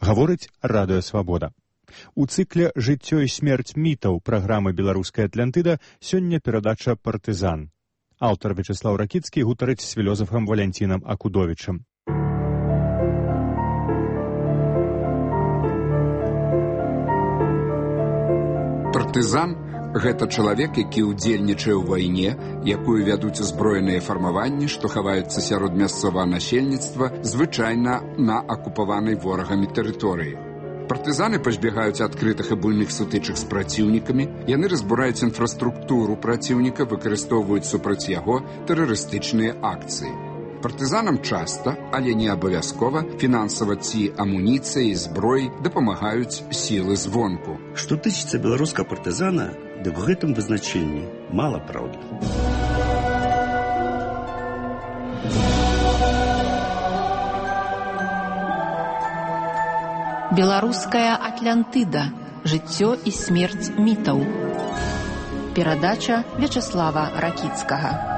Гаворыць Радыё Свабода. У цыкле «Жыццё і смерць мітаў» праграмы «Беларуская Атлантыда» сёння перадача «Партызан». Аўтар Вячеслаў Ракіцкі гутарыць з філёзафам Валянцінам Акудовічам. Партызан – гэта чалавек, які ўдзельнічае ў вайне, якую вядуць узброеныя фармаванні, што хаваюцца сярод мясцовага насельніцтва, звычайна на акупаванай ворагамі тэрыторыі. Партызаны пазбягаюць адкрытых і буйных сутычак з праціўнікамі, яны разбураюць інфраструктуру праціўніка, выкарыстоўваюць супраць яго тэрарыстычныя акцыі. Партызанам часта, але не абавязкова, фінансава ці амуніцыяй, зброяй дапамагаюць сілы звонку. Што тычыцца беларускага партызана, дык у гэтым вызначэнні мала праўды. Беларуская Атлантыда. Жыццё і смерць мітаў. Перадача Вячеслава Ракіцкага.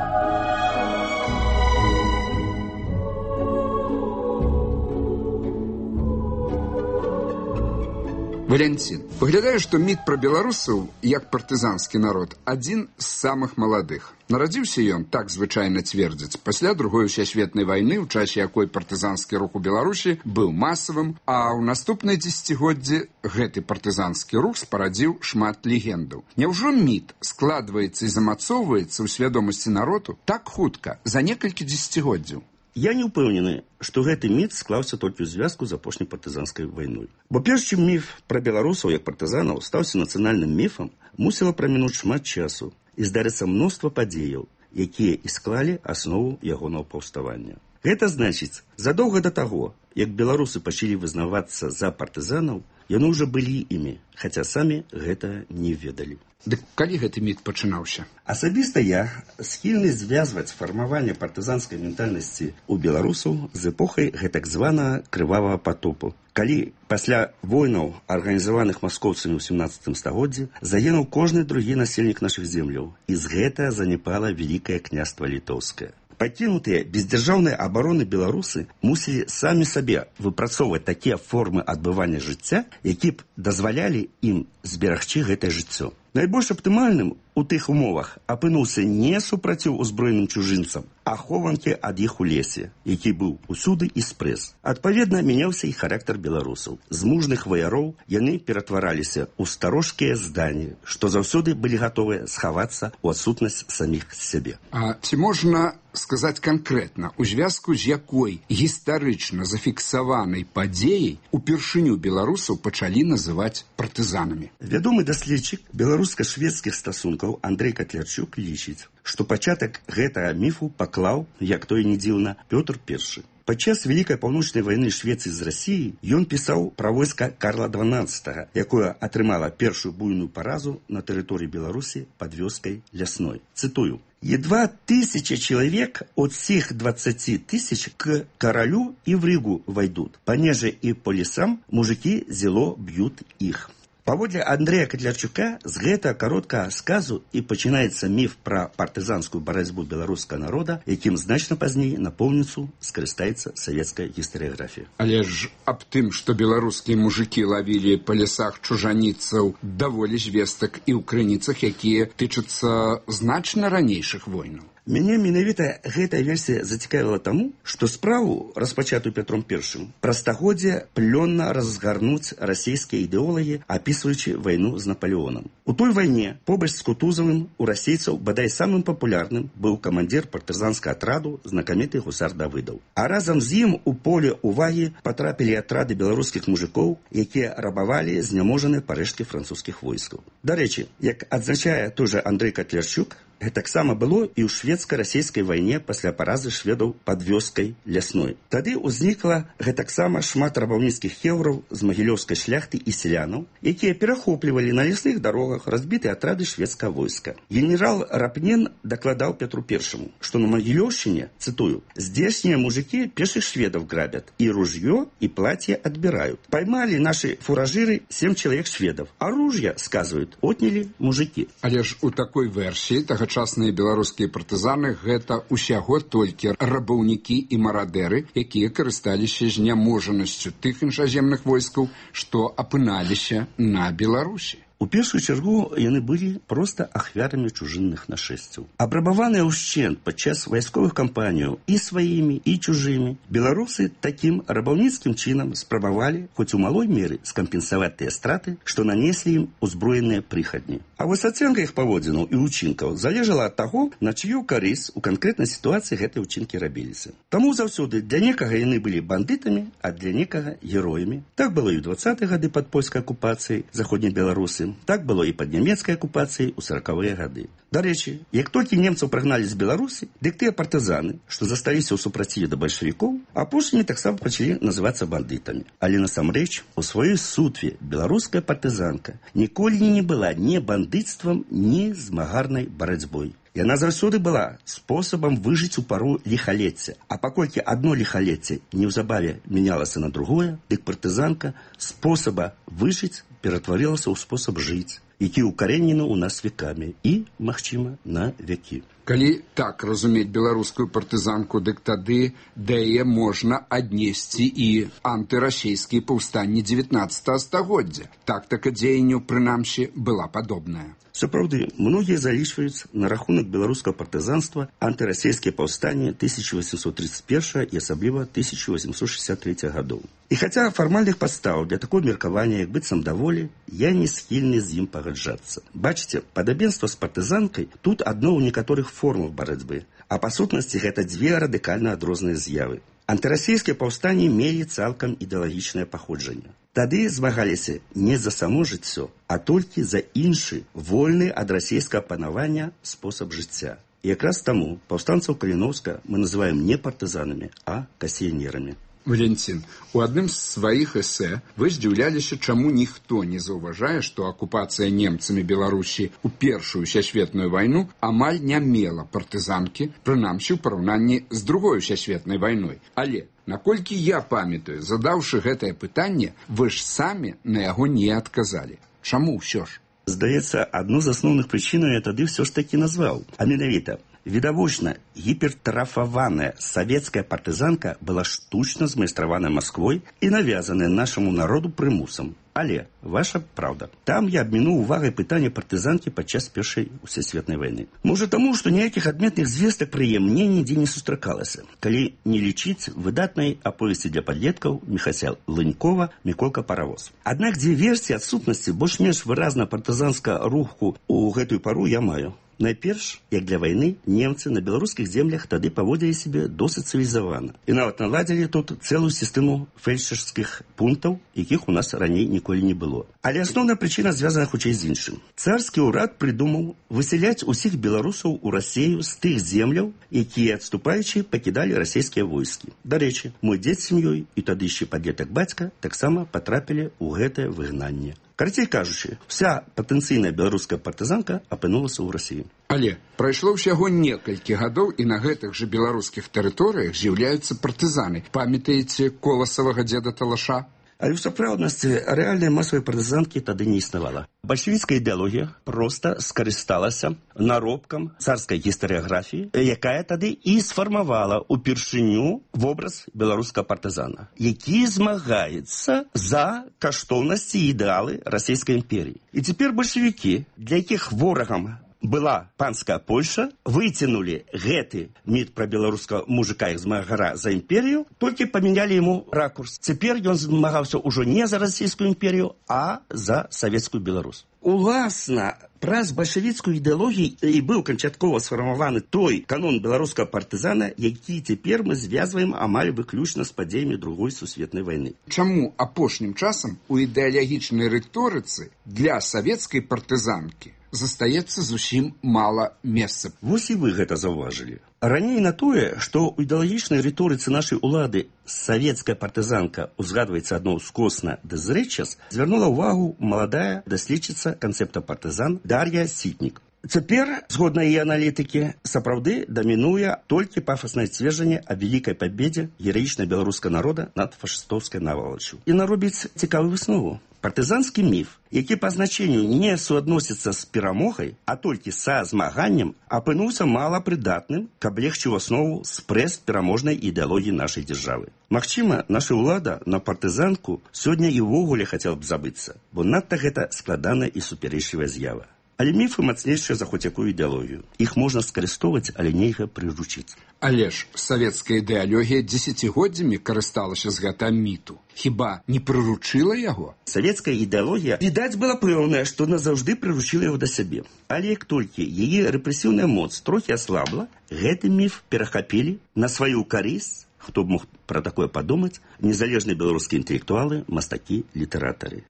Валянцін, выглядае, што міт пра беларусаў, як партызанскі народ, адзін з самых маладых. Нарадзіўся ён, так звычайна цвердзяць, пасля Другой сусветнай вайны, у часе якой партызанскі рух у Беларусі быў масавым, а ў наступныя дзесяцігоддзі гэты партызанскі рух спарадзіў шмат легендаў. Няўжо міт складваецца і замацоўваецца ў свядомасці народу так хутка, за некалькі дзесяцігоддзяў? Я не ўпэўнены, што гэты міт склаўся толькі ў звязку з апошняй партызанскай вайной. Бо перш чым міф пра беларусаў як партызанаў стаўся нацыянальным міфам, мусіла прамінуць шмат часу і здарыцца мноства падзеяў, якія і склалі аснову ягонага паўставання. Гэта значыць, задоўга да таго, як беларусы пачалі вызнавацца за партызанаў, яны ўжо былі імі, хаця самі гэта не ведалі. Дык калі гэты міт пачынаўся? Асабіста я схільны звязваць фармаванне партызанскай ментальнасці ў беларусаў з эпохай гэтак званага крывавага патопу, калі пасля войнаў, арганізаваных маскоўцамі ў 17 стагоддзі, загінуў кожны другі насельнік нашых земляў, і з гэта занепала Вялікае княства Літоўскае. Пакінутыя бездзяржаўнай абароны беларусы мусілі самі сабе выпрацоўваць такія формы адбывання жыцця, якія б дазвалялі ім зберагчы гэтае жыццё. Найбольш аптымальным у тых умовах апынуўся не супраціў узброеным чужынцам, а хованкі ад іх у лесе, які быў усюды і спрэс. Адпаведна, мяняўся і характар беларусаў. З мужных ваяроў яны ператвараліся ў старожкія здані, што заўсёды былі гатовыя схавацца ў адсутнасць саміх сябе. А ці можна сказаць канкрэтна, у звязку з якой гістарычна зафіксаванай падзеяй упершыню беларусаў пачалі называць партызанамі? Вядомы даследчык беларуска-шведскіх стасункаў Андрэй Катлярчук лічыць, што пачатак гэтага міфу паклаў, як то і не дзіўна, Пётр I. Падчас Вялікай паўночнай вайны Швецыі з Расіяй ён пісаў пра войска Карла XII, якое атрымала першую буйную паразу на тэрыторыі Беларусі пад вёскай Лясной. Цытую: «Едва 1000 человек от всех 20 000 к королю и в Ригу войдут. Понеже и по лесам мужики зело бьют их». Паводле Андрэя Катлярчука з гэтага кароткага сказу і пачынаецца міф пра партызанскую барацьбу беларускага народа, якім значна пазней напоўніцу скарыстаецца савецкая гістарыяграфія. Але ж аб тым, што беларускія мужыкі лавілі па лясах чужаніцаў, даволі звестак і ў крыніцах, якія тычацца значна ранейшых войнаў. Мяне менавіта гэтая версія зацікавіла таму, што справу, распачатую Петром I, праз стагоддзе плённа разгарнуць расійскія ідэолагі, апісваючы вайну з Наполеонам. У той вайне, побач з Кутузавым, у расейцаў бадай самым папулярным быў камандзір партызанскага атраду знакаміты гусар Давыдаў. А разам з ім у поле увагі патрапілі атрады беларускіх мужикоў, якія рабавалі зняможаныя парэшткі французскіх войскаў. Дарэчы, як адзначае той жа Андрэй Катлярчук, гэтаксама было і ў шведска-расійскай вайне пасля паразы шведаў пад вёскай Лясной. Тады ўзнікла гэтаксама шмат рабаўніцкіх хеўраў з магілёўскай шляхты і селянаў, якія перахоплівалі на лясных дарогах разбітыя атрады шведскага войска. Генерал Рапнен дакладаў Петру I, што на Магілёўшчыне, цытую, «здешние мужики пеших шведов грабят, и ружье, и платье отбирают. Поймали наши фуражиры 7 человек шведов, а ружья, сказывают, отняли мужики». Але ж у такой версіі Тагачасныя беларускія партызаны гэта ўсяго толькі рабаўнікі і марадэры, якія карысталіся зняможанасцю тых іншаземных войскаў, што апыналіся на Беларусі. У першую чаргу яны былі проста ахвярамі чужынных нашэсцяў. Абрабаваныя ўшчэнт падчас вайсковых кампаніяў і сваімі, і чужымі, беларусы такім рабаўніцкім чынам спрабавалі, хоць у малой меры, скампенсаваць тыя страты, што нанеслі ім узброеныя прыхадні. А вось ацэнка іх паводзінаў і ўчынкаў залежала ад таго, на чыю карысць у канкрэтнай сітуацыі гэтыя ўчынкі рабіліся. Таму заўсёды для некага яны былі бандытамі, а для некага героямі. Так было і ў 20-е гады пад польскай акупацыяй заходняй Беларусы. Так было і пад нямецкай акупацыяй у 40-е гады. Дарэчы, як толькі немцаў прагналі з Беларусі, дык тыя партызаны, што засталіся ў супраціве да бальшавікоў, апошнімі таксама пачалі называцца бандытамі. Але насамрэч, у сваёй сутве беларуская партызанка ніколі не была ні бандыцтвам, ні змагарнай барацьбой. Яна заўсёды была спосабам выжыць у пару ліхалецця. А паколькі адно ліхалецце неўзабаве мянялася на другое, дык партызанка спосаба выжыць ператварылася ў спосаб жыць, які ўкарэнены ў нас векамі і, магчыма, на векі. Калі так разумець беларускую партызанку, дык тады да яе можна аднесці і антырасійскія паўстанні 19 стагоддзя. Тактыка дзеянняў, прынамсі, была падобная. Сапраўды, многія залічваюць на рахунак беларускага партызанства антырасійскія паўстанні 1831 і асабліва 1863 гадоў. І хаця фармальных падстаў для такого меркавання, як быццам даволі, я не схільны з ім пагаджацца. Бачыце, падабенства з партызанкай тут адно ў некаторых формах барацьбы, а па сутнасці гэта дзве радыкальна адрозныя з'явы. Антырасійскія паўстанні мелі цалкам ідэалагічнае паходжанне. Тады змагаліся не за само жыццё, а толькі за іншы, вольны ад расійскага панавання спосаб жыцця. І якраз таму паўстанцаў Каліноўска мы называем не партызанамі, а касіянерамі. Валентин, у адным з сваіх эсэ вы здзіўляліся, чаму ніхто не заўважае, што акупацыя немцамі Беларусі ў Першую сусветную вайну амаль не мела партызанкі, прынамсі ў параўнанні з Другой сусветнай вайной. Але, наколькі я памятаю, задаўшы гэтае пытанне, вы ж самі на яго не адказалі. Чаму ўсё ж? Здаецца, адну з асноўных прычынаў я тады ўсё ж такі назваў. А менавіта, відавочна, гіпертрафаваная савецкая партызанка была штучна змайстраваная Масквой і навязаная нашаму народу прымусам. Але, ваша праўда, там я абмінуў увагай пытання партызанкі падчас Першай сусветнай вайны. Можа таму, што ніякіх адметных звестак пра яе мне нідзе не сустракалася, калі не лічыць выдатнай аповесці для падлеткаў Міхася Лынькова «Міколка паравоз». Аднак дзве версіі адсутнасці больш-менш выразна партызанскага руху ў гэтую пару я маю. Найперш, як для вайны, немцы на беларускіх землях тады паводзілі сябе досыць цывілізавана. І нават наладзілі тут цэлую сістэму фельдшерскіх пунктаў, якіх у нас раней ніколі не было. Але асноўная прычына звязана хутчэй з іншым. Царскі ўрад прыдумаў высяляць усіх беларусаў у Расею з тых земляў, якія, адступаючы, пакідалі расійскія войскі. Дарэчы, мой дзед з сям'ёй і тады яшчэ падлетак бацька таксама патрапілі ў гэтае выгнанне. Карацей кажучы, вся патэнцыйная беларуская партызанка апынулася ў Расіі. Але прайшло ўсяго некалькі гадоў, і на гэтых жа беларускіх тэрыторыях з'яўляюцца партызаны. Памятаеце коласавага дзеда Талаша? Але ў сапраўднасці рэальнай масавай партызанкі тады не існавала. Бальшавіцкая ідэалогія проста скарысталася наробкам царскай гістарыяграфіі, якая тады і сфармавала ўпершыню вобраз беларускага партызана, які змагаецца за каштоўнасці і ідэалы расійскай імперіі. І цяпер бальшавікі, для якіх ворагам была панская Польша, выцянулі гэты міт пра беларускага мужика і змагара за імперію, толькі памянялі яму ракурс. Цяпер ён змагаўся ўжо не за расійскую імперію, а за савецкую Беларусь. Уласна, праз бальшавіцкую ідэалогію і быў канчаткова сфармаваны той канон беларускага партызана, які цяпер мы звязваем амаль выключна з падзеямі Другой сусветнай вайны. Чаму апошнім часам у ідэалагічнай рыторыцы для савецкай партызанкі застаецца зусім мала месца? Вось і вы гэта заўважылі. Раней на тое, што ў ідэалагічнай рыторыцы нашай улады савецкая партызанка узгадваецца адно ўскосна ды зрэдчас, звярнула ўвагу маладая даследчыца канцэпта партызан Дар'я Сітнік. Цяпер, згодна яе аналітыкі, сапраўды дамінуе толькі пафаснае сцверджанне аб вялікай пабедзе гераічна беларускага народа над фашыстоўскай навалаччу. І наробіць цікавую выснову. Партызанскі міф, які па значенню не суадносіцца з перамогай, а толькі са змаганнем, апынуўся малапрыдатным, каб легчы ў аснову спрэс пераможнай ідэалогіі нашай дзяржавы. Магчыма, наша ўлада на партызанку сёння і ўвогуле хацела б забыцца, бо надта гэта складаная і супярэчлівая з'ява. Але міфы мацнейшыя за хоць якую ідэалогію. Іх можна скарыстоваць, але нельга прыручыць. Але ж савецкая ідэалогія дзесяцігоддзямі карысталася з гэта міту. Хіба не прыручыла яго? Савецкая ідэалогія, відаць, была пэўная, што назаўжды прыручыла яго да сябе. Але як толькі яе рэпрэсіўная моц трохі аслабла, гэты міф перахапілі на сваю карысць, хто б мог пра такое падумаць, незалежныя беларускія інтэлектуалы, мастакі, літаратары.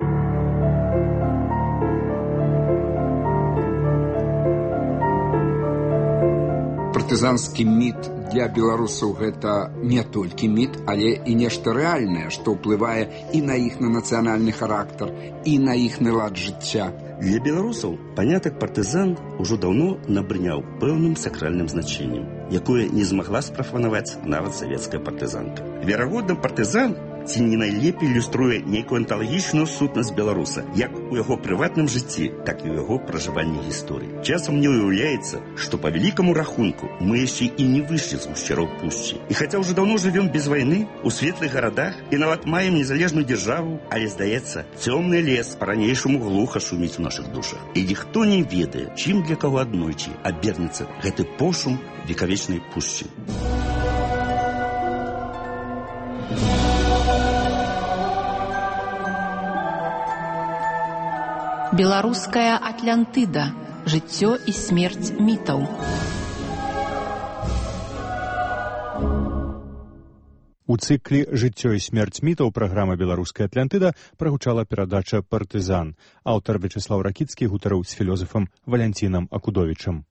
Партызанскі міт для беларусаў гэта не толькі міт, але і нешта рэальнае, што ўплывае і на іхны нацыянальны характар, і на іхны лад жыцця. Для беларусаў панятак партызан ужо даўно набрыняў пэўным сакральным значэннем, якое не змагла спрафанаваць нават савецкая партызанка. Верагодна, партызан ці не найлепей ілюструе нейкую анталагічную сутнасць беларуса, як у яго прыватным жыцці, так і ў яго пражыванні гісторыі. Часам мне ўяўляецца, што па вялікаму рахунку мы яшчэ і не выйшлі з гушчароў пушчы. І хаця ўжо даўно жывём без вайны, у светлых гарадах і нават маем незалежную дзяржаву, але, здаецца, цёмны лес па-ранейшаму глуха шуміць у нашых душах. І ніхто не ведае, чым для каго аднойчы абернецца гэты пошум векавечнай пушчы. Беларуская Атлантыда. Жыццё і смерць мітаў. У цыкле «Жыццё і смерць мітаў» праграма «Беларуская Атлантыда» прагучала перадача «Партызан». Аўтар Вячеслаў Ракіцкі гутарыў з філёзафам Валянцінам Акудовічам.